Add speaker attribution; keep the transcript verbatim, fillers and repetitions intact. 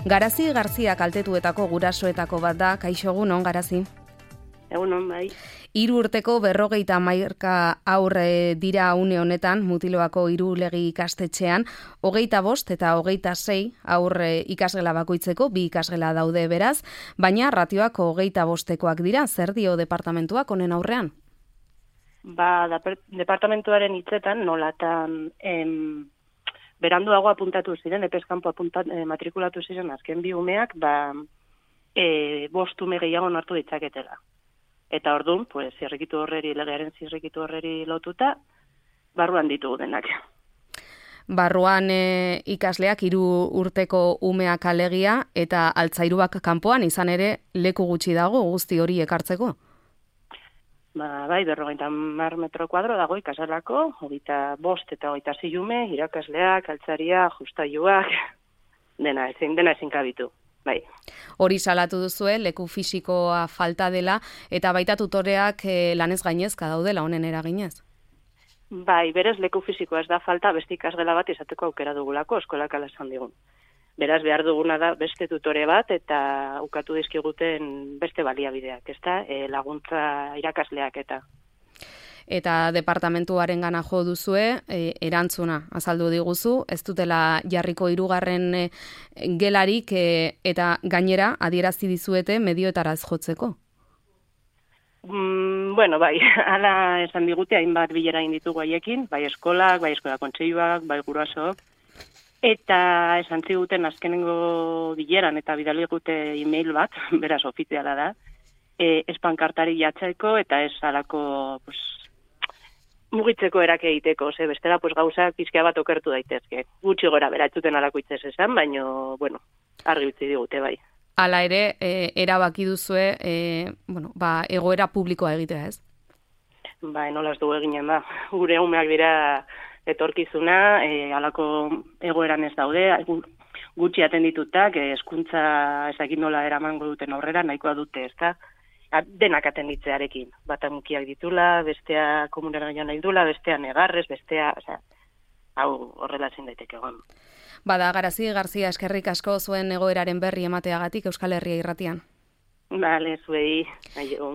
Speaker 1: Garazi Garzia kaltetuetako gurasoetako bat da, kaixo egunon, Garazi?
Speaker 2: Egunon, bai.
Speaker 1: Hiru urteko berrogeita hamaika aurre dira une honetan, Mutiloako Irulegi ikastetxean, hogeita bost eta hogeita sei aurre ikasgela bakoitzeko, bi ikasgela daude beraz, baina ratioak hogeita bostekoak dira, zer dio departamentuak honen aurrean?
Speaker 2: Ba, departamentuaren hitzetan, nolatan em, beranduago apuntatu ziren, epeskanpo apuntat, eh, matrikulatu ziren azken bi umeak, ba, e, bost ume gehiago hartu ditzaketela. Eta orduan, pues, zirrikitu horreri, legearen zirrikitu horreri lotuta, barruan ditugu denak.
Speaker 1: Barruan e, ikasleak hiru urteko umeak alegia eta altzairuak kanpoan izan ere leku gutxi dago guzti hori ekartzeko?
Speaker 2: Ba, bai, berrogeita hamar metro kuadro dago ikasalako, hogeita bost eta hogeita sei ume, irakasleak, altzaria, justailuak, dena ezin, dena ezin kabitu. Bai.
Speaker 1: Hori salatu duzue, leku fisikoa falta dela, eta baita tutoreak e, lanez gainezka daudela honen eraginez?
Speaker 2: Bai, berez leku fisikoa ez da falta, beste ikasgela bat izateko aukera dugulako, eskolak ala esan digun. Beraz, behar duguna da beste tutore bat, eta ukatu dizkiguten beste baliabideak, ezta? E, laguntza irakasleak eta...
Speaker 1: Eta departamentuaren gana jo duzue, e, erantzuna azaldu diguzu, ez dutela jarriko hirugarren e, gelarik e, eta gainera adierazi dizuete medioetara ez jotzeko.
Speaker 2: Mm, bueno, bai, hala esan digute hainbat bilera egin ditugu haiekin, bai eskolak, bai eskola kontseiluak, bai gurasoak, eta esan ziguten azkenengo bileran eta bidali gute email bat, beraz ofiziala da, e, ez pankartari jatzeko eta ez halako, pues, mugitzeko erak egiteko, ze bestela pues, gauzak pizkea bat okertu daitezke. Gutxi gora bera, etzuten alako itzez esan, baina, bueno, argi utzi digute bai.
Speaker 1: Hala ere, e, erabaki duzue, e, bueno, ba, egoera publikoa egitea, ez?
Speaker 2: Ba, nola ez dugu eginen da. Gure umeak dira etorkizuna, e, alako egoeran ez daude, gutxi atenditutak, hezkuntza ezakin nola eramango duten aurrera, nahikoa dute, ez da? Denak atenditzearekin. Bata mukiak ditula, bestea komunera joan nahi dula, bestea negarrez, bestea, osea, hau horrela ezin daiteke egon.
Speaker 1: Bada, Garazi Garzia, eskerrik asko zuen egoeraren berri emateagatik Euskal Herria irratian.
Speaker 2: Bale, zuei, aio.